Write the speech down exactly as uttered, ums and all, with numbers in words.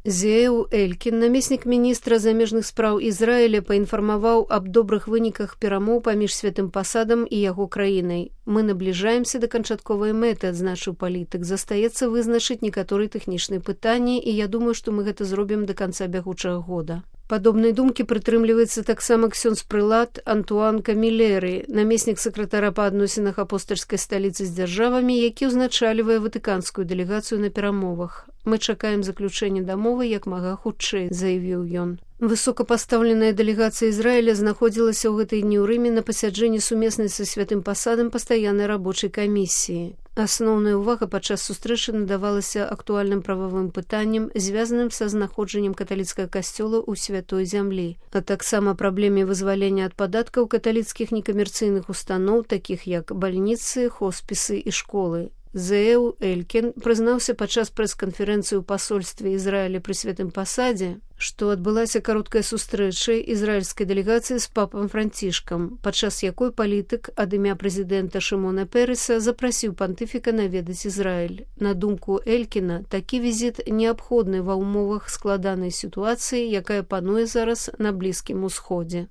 Зеў Элькін, намеснік міністра замежных спраў Ізраіля, паінфармаваў аб добрых выніках перамоў паміж святым пасадам і яго краінай. Мы набліжаемся да канчатковай мэты, адзначыў палітык. Застаецца вызначыць некаторыя тэхнічныя пытанні, і я думаю, што мы гэта зробім да канца бягучага года. Падобнай думкі прытрымліваецца таксама ксёндз-прылад Антуан Камілеры, намеснік сакратара па адносінах апостальскай сталіцы з дзяржавамі, які ўзначальвае ватыканскую дэлегацыю на перамовах. Мы чакаем заключэння дамовы як мага хутчэй, заявіў ён. Высокапастаўленая дэлегацыя Ізраіля знаходзілася ў гэтай дні ў Рыме на пасяджэнні сумеснай са святым пасадам пастаяннай рабочай камісіі. Асноўная ўвага падчас сустрэчы надавалася актуальным прававым пытанням, звязаным са знаходжаннем каталіцкага касцёла ў святой зямлі, а таксама праблеме вызвалення ад падаткаў каталіцкіх некамерцыйных устаноў, такіх як бальніцы, хоспісы і школы. Зеў Элькін прызнаўся падчас прэс-канферэнцыі ў пасольстве Ізраіля пры святым пасадзе, што адбылася кароткая сустрэча ізраільскай дэлегацыі з папам Францішкам, падчас якой палітык ад імя прэзідэнта Шымона Переса запрасіў пантыфіка наведаць Ізраіль. На думку Элькіна, такі візіт неабходны ва ўмовах складанай сітуацыі, якая пануе зараз на Блізкім Усходзе.